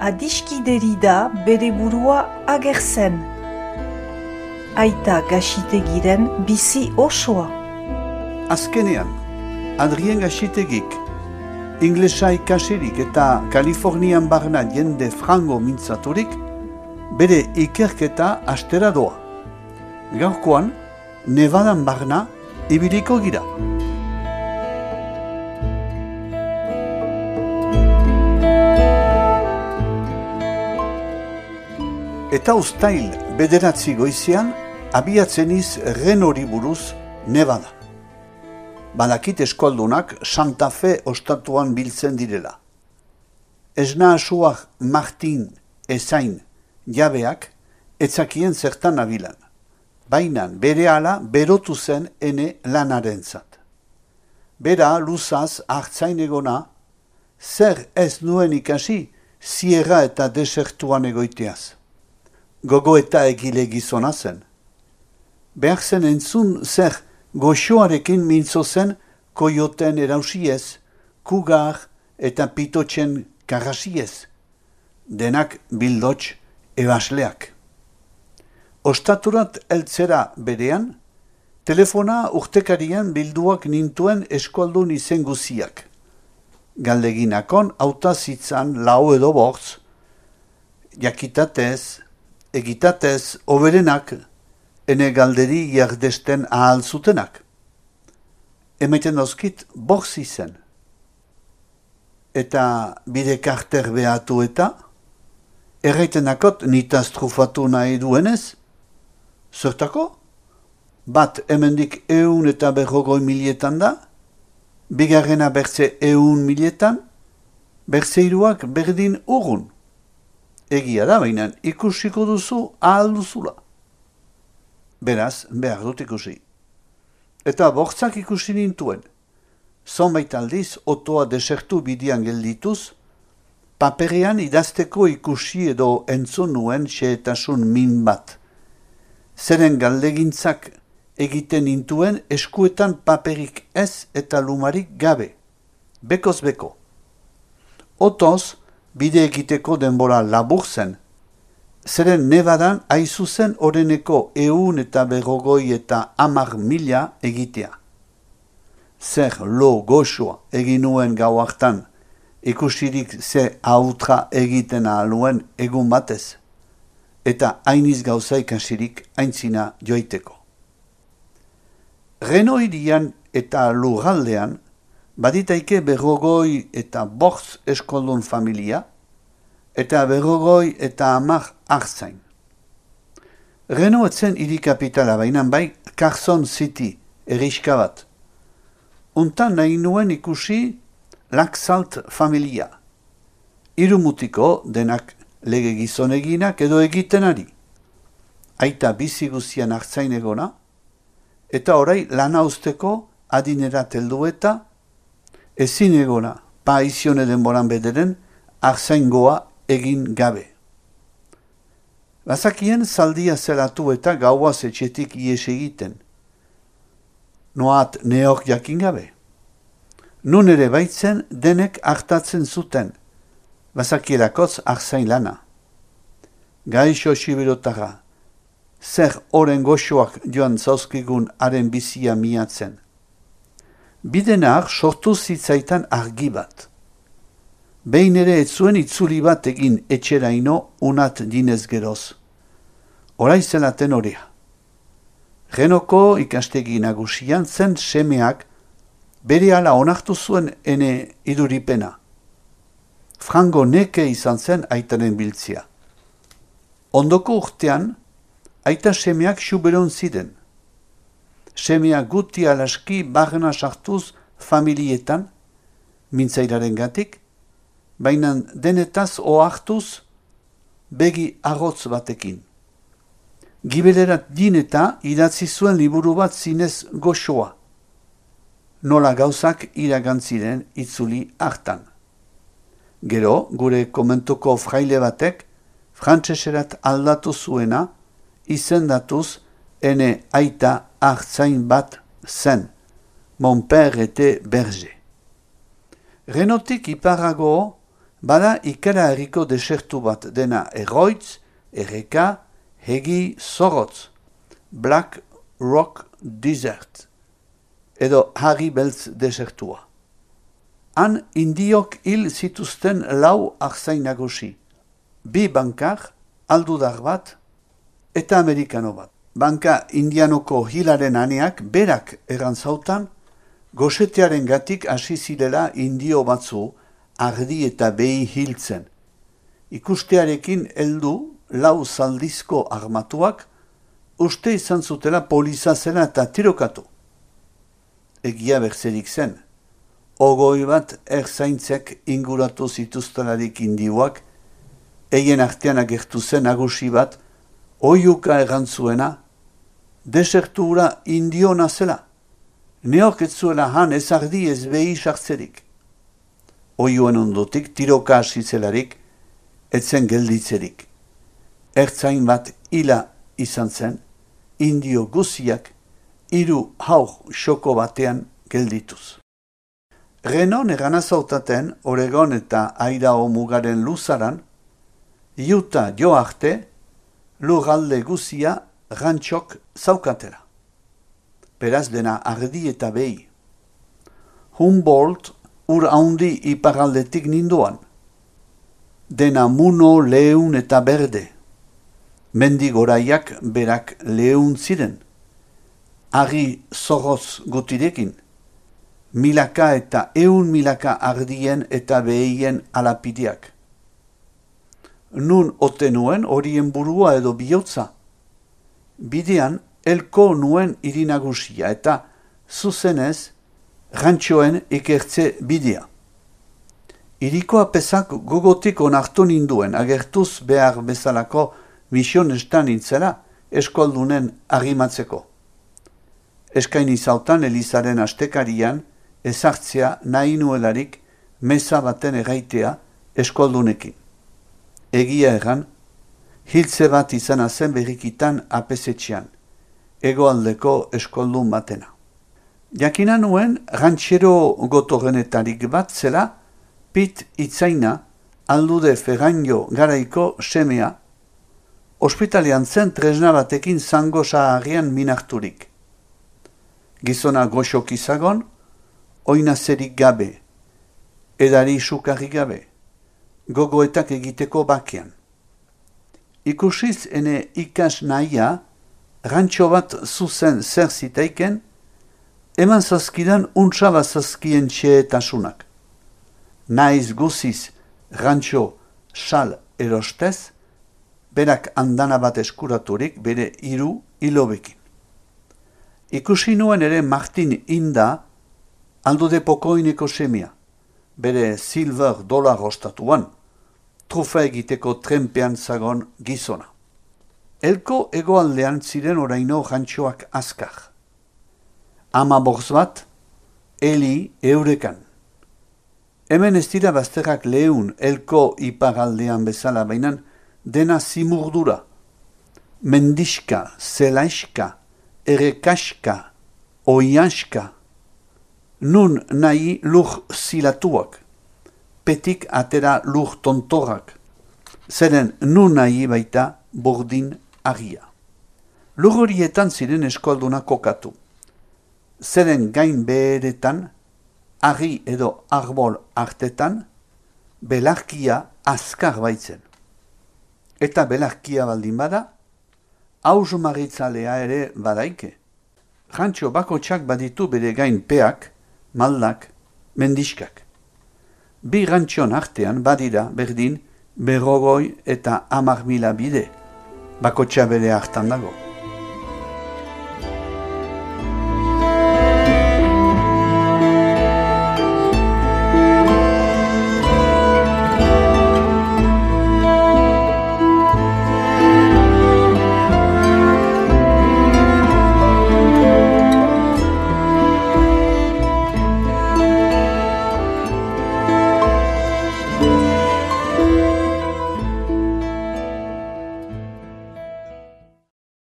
adiskideri da bere burua agertzen. Aita Gaxitegiren bizi osoa. Azkenean, Adrien Gaxitegik, inglesa ikasirik eta Kalifornian barna jende frango mintzaturik, bere ikerketa astera doa. Gaurkoan, Nevadan barna ibiliko gira. Eta uztail 9 goizean, abiatzen iz Renori buruz Nevada. Badakit eskoldunak Santa Fe ostatuan biltzen direla. Esna asuak Martin ezain jabeak etzakien zertan abilan. Bainan berehala berotu zen ene lanarentzat. Bera luzaz hartzain egona, zer ez nuen ikasi Sierra eta desertuan egoiteaz. Gogo eta egile gizona zen. Behar zen entzun zer goxoarekin mintzo zen koioten erausiez, kugar eta pitotxen karrasiez. Denak bildotx ebasleak. Ostaturat eltzera berean, telefona urtekarian bilduak nintuen eskualdun izen guziak. Galdeginakon autazitzan lau edo bortz, jakitatez, egitatez, oberenak, ene galderi jardesten ahal zutenak. Emaiten dozkit bortz izen. Eta bide karter behatu eta, erraitenakot nitaz trufatu nahi duenez, zertako? Bat hemendik 150.000 da, bigarrena bertze 100.000, bertzeiruak berdin urgun. Egia da, baina ikusiko duzu ahal duzula. Beraz, behar dut ikusi. Eta bortzak ikusi nintuen. Zonbait aldiz, otoa desertu bidian geldituz, paperean idazteko ikusi edo entzun nuen xehetasun min bat. Zeren galdegintzak egiten nintuen eskuetan paperik ez eta lumarik gabe. Bekoz beko. Otoz, bide egiteko denbora labur zen, zeren Nevadan aizuzen oreneko 150 eta 10.000 egitea. Zer lo goxoa egin nuen gau hartan, ikusirik ze autra egiten ahaluen egun batez, eta hainiz gauza ikasirik aintzina joiteko. Reno hirian eta lurraldean, baditaike 50 eta 5 eskoldun familia, eta 50 eta 10 hartzain. Reno etzen hiri kapitala bainan bai Carson City, eriska bat. Untan nahi nuen ikusi Laxalt familia. Irumutiko denak lege gizoneginak edo egitenari. Aita bizi guztian hartzain egona, eta orai lana usteko adinera teldu eta ezin egona, paizione denboran bederen, hartzaingoa egin gabe. Bazakien zaldia zelatu eta gauaz etxetik ies egiten. Noat neok jakin gabe. Nun ere baitzen denek hartatzen zuten, bazakierakoz hartzain lana. Gaixo siberotara, zer oren goxoak joan zauzkigun haren bizia miatzen. Bidenar sortu zitzaitan argi bat. Behin ere ez zuen itzuli bat egin etxeraino unat dinez geroz. Horai zelaten horea. Renoko ikastegi nagusian zen semeak berehala onartu zuen ene iduripena. Frango neke izan zen aitaren biltzia. Ondoko urtean, aita semeak xuberon ziren. Semea guti alaski barna sartuz familietan, mintzairaren gatik, baina denetaz ohartuz begi arrotz batekin. Gibelerat dineta idatzi zuen liburu bat zinez goxoa. Nola gauzak iragantziren itzuli hartan. Gero, gure komentuko fraile batek, frantseserat aldatu zuena, izendatuz ene aita hartzain bat zen, mon père était berger. Renotik iparago Bada ikara herriko desertu bat dena Erroitz, Erreka, Hegi, Zorrotz, Black Rock Desert, edo Harri Beltz desertua. Han indiok hil zituzten 4 arzain nagusi, 2 bankar, aldudar bat, eta amerikano bat. Banka indianoko hilaren aneak berak erantzautan, gosetearen gatik hasi zirela indio batzu ardi eta behi hiltzen. Ikustearekin heldu 4 zaldizko armatuak uste izan zutela poliza zela eta tirokatu. Egia berzerik zen. 20 bat erzaintzek inguratu zituztelarik indioak, eien artean agertu zen nagusi bat, oiuka errantzuena, desertura indiona zela. Neok ez zuela han ez ardi ez behi sartzerik. Oiuen ondotik tiroka hasi zelarik, etzen gelditzerik. Ertzain bat hila izan zen, indio guziak 3 haur xoko batean geldituz. Renon eranazautaten Oregon eta Idaho mugaren luzaran, Utah jo arte, lurralde guzia rantxok zaukatela. Beraz dena ardi eta behi. Humboldt ur haundi iparaldetik ninduan. Dena muno, leun eta berde. Mendigoraiak berak leun ziren. Arri zorroz gutirekin. Milaka eta 100 ardien eta behien alapideak. Nun ote nuen horien burua edo bihotza. Bidean elko nuen irinagusia eta zuzenez rantxoen ikertze bidea. Iriko apesak gogotik onartu ninduen agertuz behar bezalako misionestan nintzela eskoldunen agimatzeko. Eskaini zautan Elizaren astekarian ezartzea nahi nuelarik meza baten erraitea eskoldunekin. Egia erran, hiltze bat izana zen berrikitan apesetxean, hegoaldeko eskoldun batena. Jakina nuen rantxero gotorrenetarik bat zela, Pit Itzaina, aldude Ferraino garaiko semea, ospitalean zen tresna batekin zango saharrian minarturik. Gizona goxok izagon, oinazerik gabe, edari sukarrik gabe, gogoetak egiteko bakean. Ikusiz ene ikas nahia, rantxo bat zuzen zer zitaiken, eman zazkidan untsaba zazkien txeetasunak. Naiz guziz rantxo sal erostez, berak andana bat eskuraturik bere 3 hilobekin. Ikusi nuen ere Martin Inda, aldude pokoineko semia, bere silver $1 ostatuan, trufa egiteko trenpean zagon gizona. Elko hegoaldean ziren oraino rantxoak azkar. 15 bat, Eli Eurekan. Hemen ez dira bazterrak leun elko iparaldean bezala bainan, dena zimurdura. Mendiska, zelaiska, errekaska, oiaska. Nun nahi lur zilatuak, petik atera lur tontorrak. Zeren nun nahi baita bordin agia. Lur horietan ziren eskolduna kokatu. Zeren gain beheretan, argi edo arbol artetan, belarkia azkar baitzen. Eta belarkia baldin bada, hausmaritzalea ere badaike. Rantxo bakotxak baditu bere gain peak, maldak, mendiskak. 2 rantxon artean badira berdin 50 eta 10.000 bide, bakotxa bere hartan dago.